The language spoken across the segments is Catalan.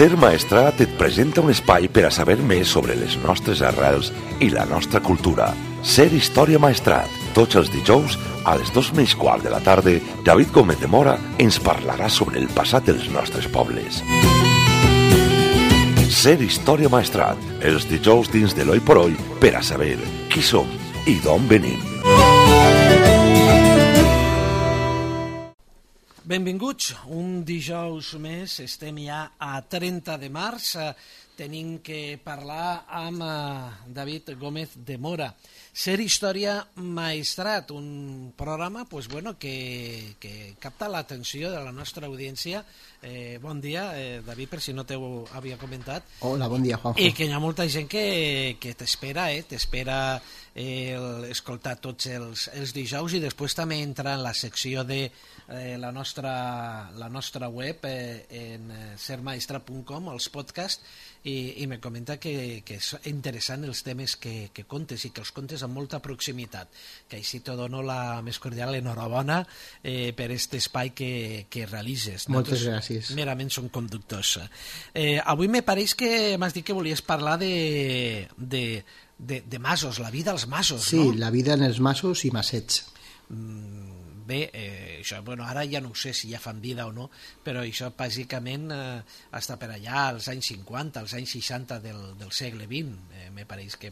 Ser Maestrat et presenta un espai per a saber més sobre les nostres arrels i la nostra cultura. Ser Història Maestrat. Tots els dijous, a les 2:15 de la tarda, David Gómez de Mora ens parlarà sobre el passat dels nostres pobles. Ser Història Maestrat. Els dijous dins de l'Oi por Oi per a saber qui som i d'on venim. Benvinguts, un dijous més, estem ja a 30 de març, tenim que parlar amb David Gómez de Mora. Ser Història Maestrat, un programa que capta l'atenció de la nostra audiència. Bon dia, David, per si no t'ho havia comentat. Hola, bon dia, Juanjo. I que hi ha molta gent que t'espera, t'espera escoltar tots els dijous, i després també entra en la secció de la nostra web en sermaestra.com, els podcasts, i me comenta que és interessant els temes que contes, i que els contes amb molta proximitat, que així te dono la més cordial enhorabona per aquest espai que realitzes. Moltes gràcies. Merament són conductors. Avui me pareix que m'has dit que volies parlar de masos, la vida als masos, sí, no? Sí, la vida en els masos i masets. Bé, això, ara ja no ho sé si ja fan vida o no, però això bàsicament està per allà als anys 50, als anys 60 del segle XX, me pareix que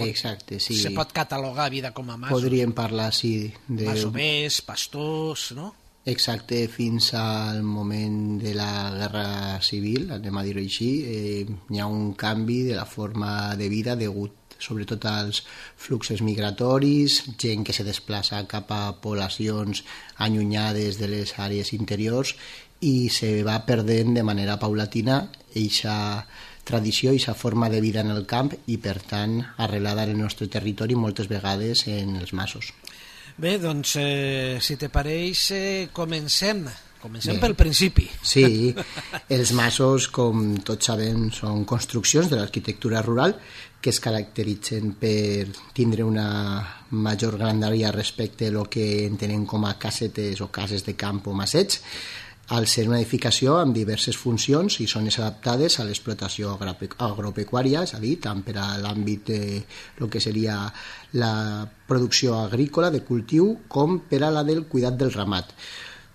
Exacte, sí. Se pot catalogar vida com a masos. Podríem parlar, sí, de masovers, pastors, no? Exacte, fins al moment de la Guerra Civil, anem a dir-ho així, hi ha un canvi de la forma de vida degut sobretot als fluxos migratoris, gent que se desplaça cap a poblacions allunyades de les àrees interiors, i se va perdent de manera paulatina eixa tradició, eixa forma de vida en el camp, i per tant arrelada en el nostre territori moltes vegades en els masos. Bé, doncs, si te pareix, comencem pel principi. Sí, els masos, com tots sabem, són construccions de l'arquitectura rural que es caracteritzen per tindre una major grandària respecte a lo que entenem com a casetes o cases de camp o masets, al ser una edificació amb diverses funcions i zones adaptades a l'explotació agropecuària, és a dir, tant per a l'àmbit de lo que seria la producció agrícola de cultiu com per a la del cuidat del ramat.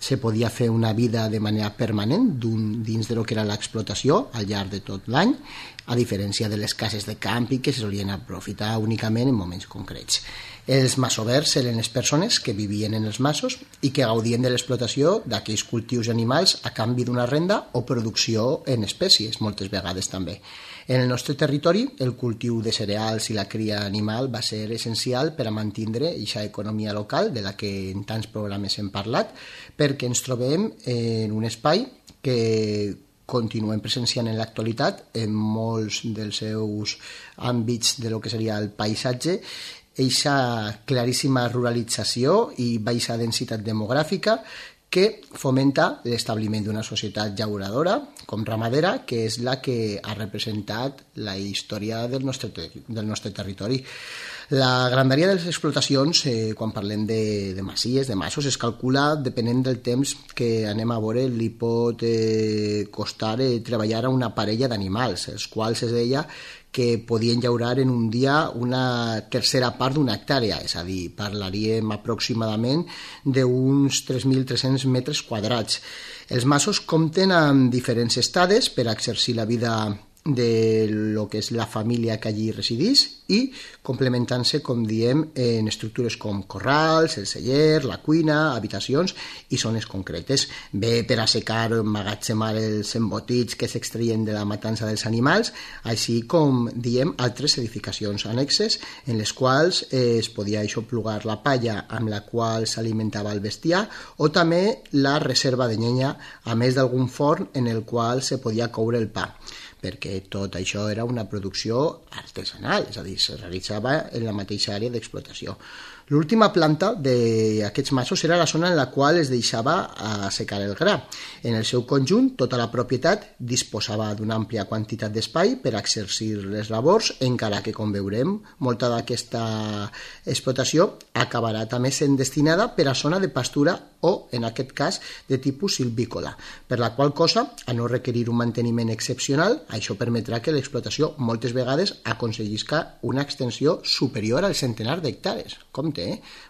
Se podia fer una vida de manera permanent dins de lo que era l'explotació al llarg de tot l'any, a diferència de les cases de campi que se solien aprofitar únicament en moments concrets. Els masovers eren les persones que vivien en els masos i que gaudien de l'explotació d'aquells cultius animals a canvi d'una renda o producció en espècies, moltes vegades també. En el nostre territori, el cultiu de cereals i la cria animal va ser essencial per a mantindre aquesta economia local de la que en tants programes hem parlat, perquè ens trobem en un espai que continuem presenciant en l'actualitat en molts dels seus àmbits de lo que seria el paisatge, eixa claríssima ruralització i baixa densitat demogràfica que fomenta l'establiment d'una societat llauradora com ramadera, que és la que ha representat la història del nostre territori. La grandària de les explotacions, quan parlem de masies, de masos, es calcula depenent del temps que anem a veure, li pot costar treballar a una parella d'animals, els quals es deia que podien llaurar en un dia una tercera part d'una hectàrea, és a dir, parlaríem aproximadament d'uns 3.300 metres quadrats. Els masos compten amb diferents estades per exercir la vida de lo que és la família que allí residís, i complementant-se, com diem, en estructures com corrals, el celler, la cuina, habitacions i zones concretes. Bé per assecar o emmagatzemar els embotits que s'extreien de la matança dels animals, així com, diem, altres edificacions annexes en les quals es podia aixoplugar la palla amb la qual s'alimentava el bestiar, o també la reserva de llenya, a més d'algun forn en el qual se podia coure el pa, perquè tot això era una producció artesanal, és a dir, se realitzava en la mateixa àrea d'explotació. L'última planta d'aquests masos era la zona en la qual es deixava assecar el gra. En el seu conjunt, tota la propietat disposava d'una àmplia quantitat d'espai per exercir les labors, encara que, com veurem, molta d'aquesta explotació acabarà també sent destinada per a zona de pastura o, en aquest cas, de tipus silvícola, per la qual cosa, a no requerir un manteniment excepcional, això permetrà que l'explotació moltes vegades aconseguisca una extensió superior al centenar d'hectàrees. Compte,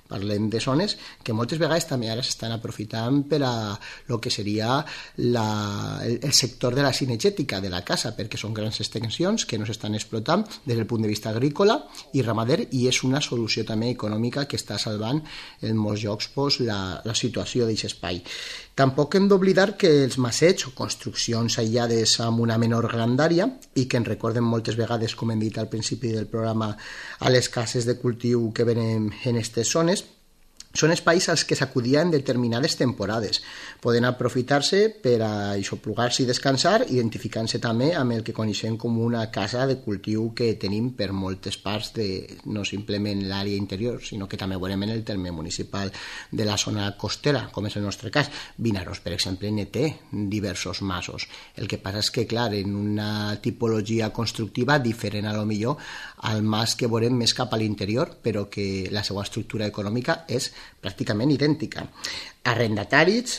parlem de zones que moltes vegades també ara s'estan aprofitant per a el que seria el sector de la cinegètica de la caça, perquè són grans extensions que no s'estan explotant des del punt de vista agrícola i ramader, i és una solució també econòmica que està salvant en molts llocs la situació d'aquest espai. Tampoc hem d'oblidar que els macets o construccions aïllades amb una menor grandària i que ens recorden moltes vegades, com hem dit al principi del programa, a les cases de cultiu que venen en aquestes zones, són espais als que s'acudia en determinades temporades. Poden aprofitar-se per a aixoplugar-se i descansar, identificant-se també amb el que coneixem com una casa de cultiu que tenim per moltes parts de no simplement l'àrea interior, sinó que també veurem en el terme municipal de la zona costera, com és el nostre cas. Vinaròs, per exemple, ne té diversos masos. El que passa és que, clar, en una tipologia constructiva diferent a lo millor al mas que veurem més cap a l'interior, però que la seva estructura econòmica és pràcticament idèntica. Arrendataris,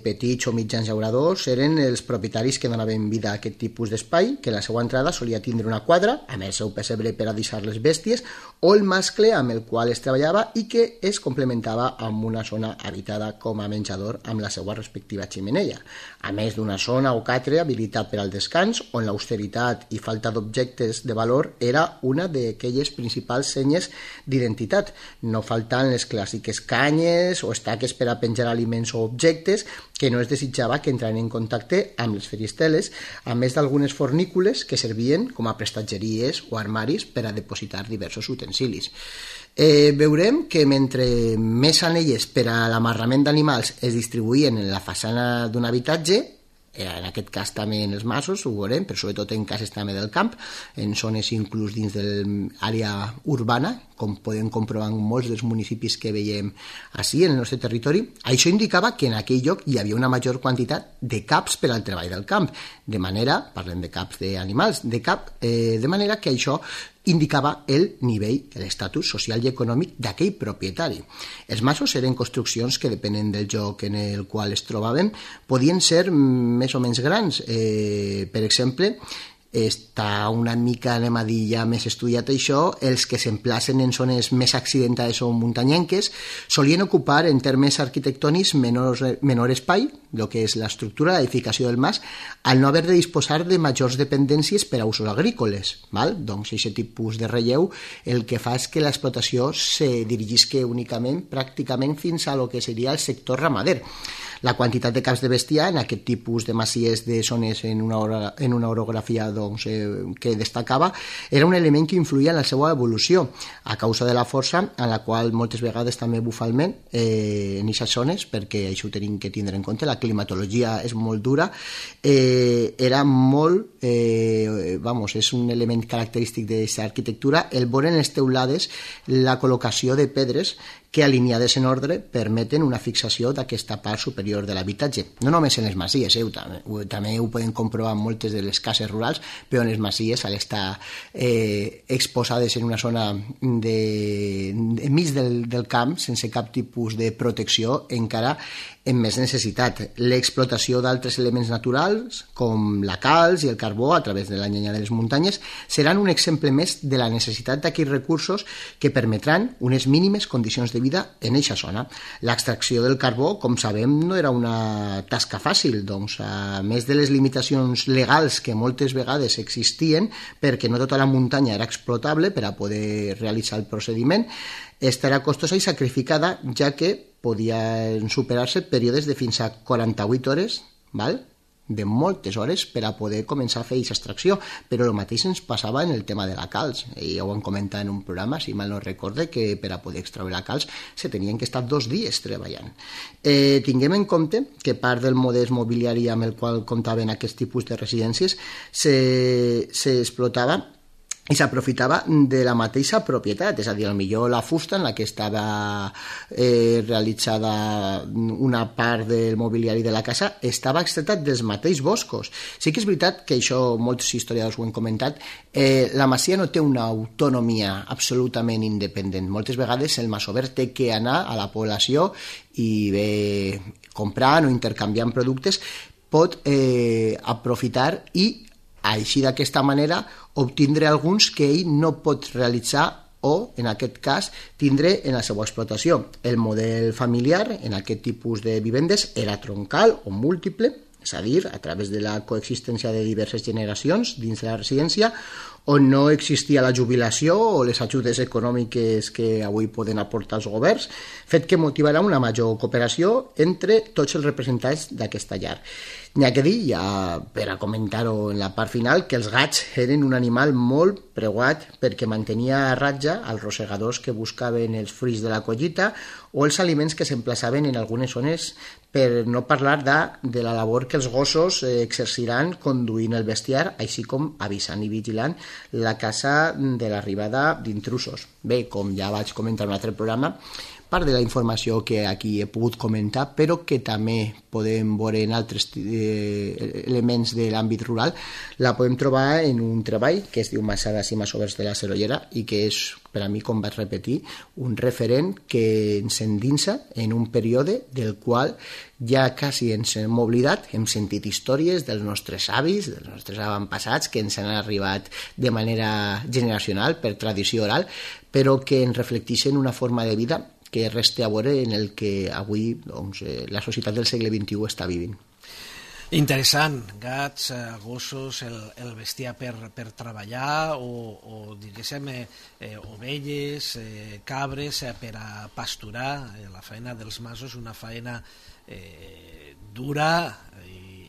petits o mitjans llauradors, eren els propietaris que donaven vida a aquest tipus d'espai, que la seva entrada solia tindre una quadra, amb el seu pessebre per a deixar les bèsties, o el mascle amb el qual es treballava i que es complementava amb una zona habitada com a menjador amb la seva respectiva xemeneia, a més d'una zona o catre habilitat per al descans, on l'austeritat i falta d'objectes de valor era una d'aquelles principals senyes d'identitat, no faltant les clàssiques canyes o estaques per a penjar aliments o objectes que no es desitjava que entraran en contacte amb les feristeles, a més d'algunes fornícules que servien com a prestatgeries o armaris per a depositar diversos utensilis. Veurem que mentre més anelles per a l'amarrament d'animals es distribuïen en la façana d'un habitatge, en aquest cas també en els masos, ho veurem, però sobretot en cases també del camp, en zones inclús dins de l'àrea urbana, com podem comprovar en molts dels municipis que veiem així en el nostre territori. Això indicava que en aquell lloc hi havia una major quantitat de caps per al treball del camp, de manera, parlem de caps d'animals, de manera que això indicava el nivell, l'estatus social i econòmic d'aquell propietari. Els masos eren construccions que, depenent del lloc en el qual es trobaven, podien ser més o menys grans. Per exemple, està una mica, anem a dir, ja més estudiat això, els que s'emplacen en zones més accidentades o muntanyenques solien ocupar en termes arquitectònics menor espai, el que és l'estructura, l'edificació del mas, al no haver de disposar de majors dependències per a usos agrícoles. Doncs aquest tipus de relleu el que fa és que l'explotació se dirigisca únicament pràcticament fins a lo que seria el sector ramader. La quantitat de caps de bestiar en aquest tipus de masies de zones en una orografia que destacava era un element que influïa en la seva evolució a causa de la força en la qual moltes vegades també bufa el vent en aquestes zones, perquè això ho tenim que tindre en compte, la climatologia és molt dura, era molt, és un element característic d'aquesta arquitectura el veure en les teulades la col·locació de pedres que alineades en ordre permeten una fixació d'aquesta part superior de l'habitatge. No només en les masies, també ho podem comprovar en moltes de les cases rurals, però en les masies, al estar exposades en una zona enmig del camp, sense cap tipus de protecció, encara amb més necessitat. L'explotació d'altres elements naturals, com la calç i el carbó, a través de la llenya de les muntanyes, seran un exemple més de la necessitat d'aquells recursos que permetran unes mínimes condicions de vida en eixa zona. L'extracció del carbó, com sabem, no era una tasca fàcil, doncs, a més de les limitacions legals que moltes vegades existien, perquè no tota la muntanya era explotable per a poder realitzar el procediment, estarà costosa i sacrificada, ja que podien superar-se períodes de fins a 48 hores, de moltes hores per a poder començar a fer aquesta extracció, però el mateix ens passava en el tema de la calç. Ja ho vam comentar en un programa, si mal no recorde, que per a poder extraure la calç se tenien que estar 2 dies treballant. Tinguem en compte que part del model mobiliari amb el qual comptaven aquest tipus de residències s'explotava i s'aprofitava de la mateixa propietat, és a dir, potser la fusta en la que estava realitzada una part del mobiliari de la casa estava extreta dels mateixos boscos. Sí que és veritat que això molts historiadors ho han comentat, la masia no té una autonomia absolutament independent. Moltes vegades el masover té que anar a la població i bé comprant o intercanviant productes, pot aprofitar i així d'aquesta manera obtindre alguns que ell no pot realitzar o, en aquest cas, tindre en la seva explotació. El model familiar en aquest tipus de vivendes era troncal o múltiple, és a dir, a través de la coexistència de diverses generacions dins de la residència, on no existia la jubilació o les ajudes econòmiques que avui poden aportar els governs, fet que motivarà una major cooperació entre tots els representants d'aquesta llar. N'hi ha que dir, ja per a comentar-ho en la part final, que els gats eren un animal molt preuat perquè mantenia a ratja els rosegadors que buscaven els fruits de la collita o els aliments que s'emplaçaven en algunes zones, per no parlar de la labor que els gossos exerciran conduint el bestiar, així com avisant i vigilant la casa de l'arribada d'intrusos. Bé, com ja vaig comentar en un altre programa, part de la informació que aquí he pogut comentar, però que també podem veure en altres elements de l'àmbit rural, la podem trobar en un treball que es diu Masades i Masovers de la Sorollera i que és, per a mi, com vaig repetir, un referent que ens endinsa en un període del qual ja quasi ens hem oblidat, hem sentit històries dels nostres avis, dels nostres avantpassats, que ens han arribat de manera generacional, per tradició oral, però que ens reflecteixen una forma de vida que resta a veure en el que avui la societat del segle XXI està vivint. Interessant, gats, gossos, el bestiar per treballar o diguéssim, ovelles, cabres per a pasturar. La feina dels masos és una feina dura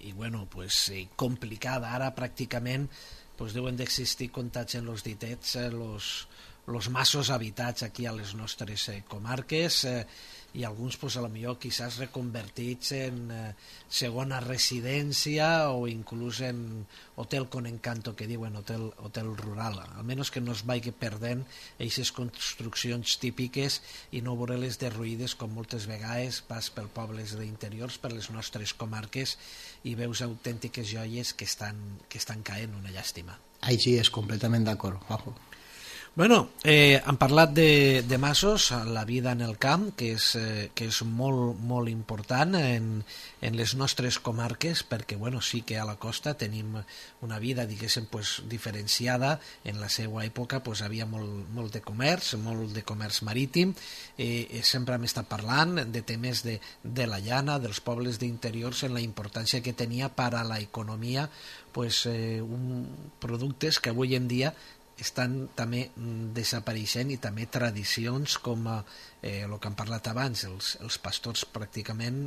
i bueno, pues, complicada. Ara pràcticament pues, deuen d'existir, comptats en els ditets, los masos habitats aquí a les nostres comarques i alguns pues, a lo millor quizás reconvertits en segona residència o inclús en hotel con encanto, que diuen hotel rural, almenys que no es vagi perdent aquestes construccions típiques i no veure-les derruïdes com moltes vegades vas per pobles d'interiors, per les nostres comarques i veus autèntiques joies que estan caent, una llàstima. Així és, completament d'acord, Juanjo. Bueno, hem parlat de masos, la vida en el camp, que és molt, molt important en les nostres comarques, perquè bueno, sí que a la costa tenim una vida, diguéssim, pues, diferenciada. En la seva època pues, havia molt de comerç marítim, sempre hem estat parlant de temes de la llana, dels pobles d'interiors, en la importància que tenia per a l'economia pues, productes que avui en dia estan també desapareixent i també tradicions com el que hem parlat abans, els pastors pràcticament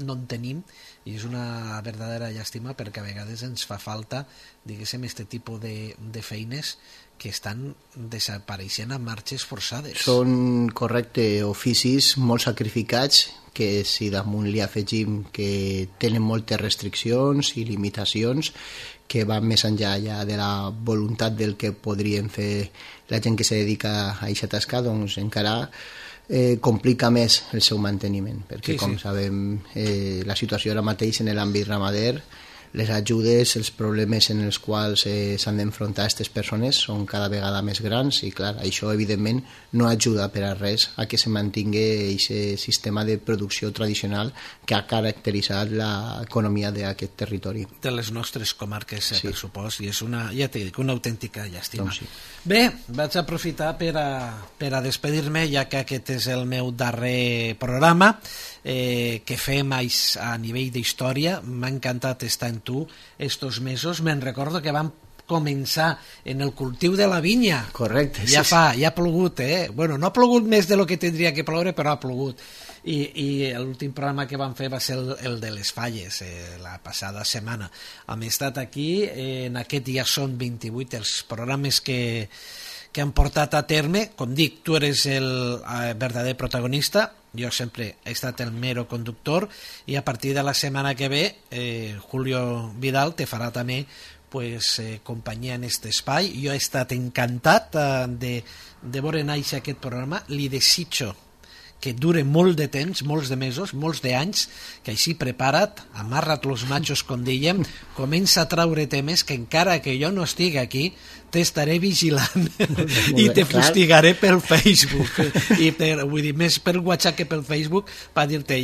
no en tenim i és una verdadera llàstima perquè a vegades ens fa falta, diguéssim, aquest tipus de feines que estan desapareixent a marxes forçades. Són, correcte, oficis molt sacrificats que si damunt li afegim que tenen moltes restriccions i limitacions que van més enllà ja de la voluntat del que podrien fer la gent que se dedica a aquesta tasca, doncs encara complica més el seu manteniment, perquè com sabem la situació ara mateix en l'àmbit ramader, les ajudes, els problemes en els quals s'han d'enfrontar aquestes persones són cada vegada més grans i clar, això evidentment no ajuda per a res a que se mantingui aquest sistema de producció tradicional que ha caracteritzat l'economia d'aquest territori. De les nostres comarques, per supost, i és una, ja t'he dit, una autèntica llàstima. Doncs sí. Bé, vaig aprofitar per a despedir-me, ja que aquest és el meu darrer programa que fem a nivell d'història. M'ha encantat estar en tu estos mesos. Me'n recordo que vam començar en el cultiu de la vinya. Correcte. Ja ha plogut, Bueno, no ha plogut més de lo que tindria que ploure, però ha plogut. I l'últim programa que vam fer va ser el de les falles, la passada setmana. Hem estat aquí, en aquest dia són 28 els programes que han portat a terme. Com dic, tu eres el verdader protagonista, jo sempre he estat el mero conductor, i a partir de la setmana que ve Julio Vidal te farà també companyia en aquest espai. Jo he estat encantat de veure néixer aquest programa. Li desitjo que dure molt de temps, molts de mesos, molts d'anys, que així prepara't, amarra't los machos, com dèiem, comença a traure temes que encara que jo no estigui aquí, t'estaré vigilant i te fustigaré pel Facebook. Vull dir, més per WhatsApp que pel Facebook, per dir-te,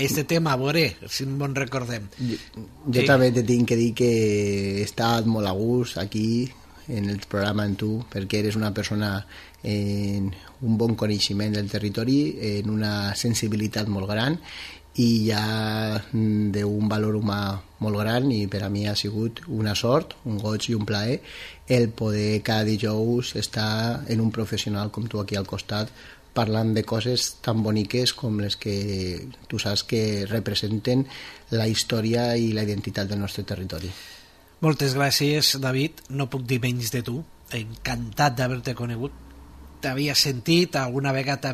este tema, a veure, si no en recordem. Jo també te tinc que dir que he estat molt a gust aquí, en el programa amb tu, perquè eres una persona en un bon coneixement del territori, en una sensibilitat molt gran i ja d'un valor humà molt gran, i per a mi ha sigut una sort, un goig i un plaer el poder cada dijous estar en un professional com tu aquí al costat parlant de coses tan boniques com les que tu saps que representen la història i la identitat del nostre territori. Moltes gràcies, David. No puc dir menys de tu. Encantat d'haver-te conegut. T'havia sentit, alguna vegada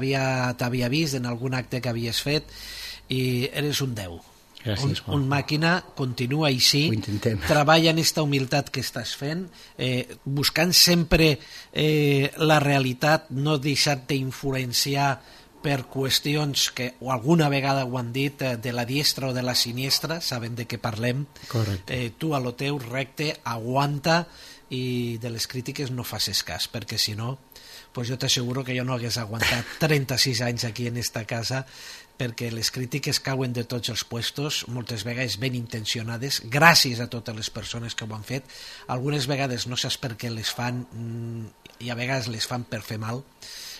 t'havia vist en algun acte que havies fet i eres un 10. Gràcies, Juan. Un màquina, continua així. Ho intentem. Treballa en esta humilitat que estàs fent, buscant sempre la realitat, no deixar-te influenciar per qüestions que o alguna vegada ho han dit de la diestra o de la siniestra, saben de què parlem. Correcte. Tu a lo teu recte, aguanta, i de les crítiques no facis cas, perquè si no, pues jo t'asseguro que jo no hagués aguantat 36 anys aquí en esta casa, perquè les crítiques cauen de tots els puestos, moltes vegades ben intencionades, gràcies a totes les persones que ho han fet. Algunes vegades no saps per què les fan i a vegades les fan per fer mal.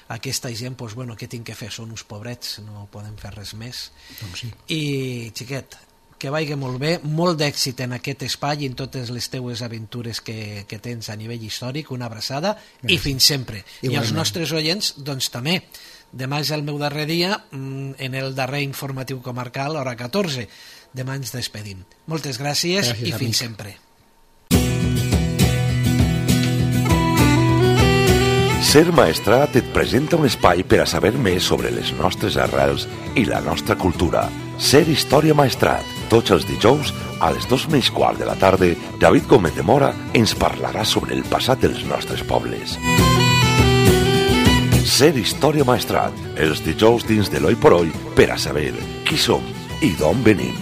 Aquesta gent, doncs, bueno, què tinc que fer? Són uns pobrets, no podem fer res més. Doncs sí. I, xiquet, que vagi molt bé, molt d'èxit en aquest espai i en totes les teues aventures que tens a nivell històric. Una abraçada. Gràcies. I fins sempre. Igualment. I els nostres oients, doncs també. Demà és el meu darrer dia en el darrer informatiu comarcal, hora 14. Demà ens despedim. Moltes gràcies i fins sempre. Ser Maestrat et presenta un espai per a saber més sobre les nostres arrels i la nostra cultura. Ser Història Maestrat. Tots els dijous, a les 2:15 de la tarda, David Gómez de Mora ens parlarà sobre el passat dels nostres pobles. Ser Història Maestrat. Els dijous dins de l'Oi por Oi per a saber qui som i d'on venim.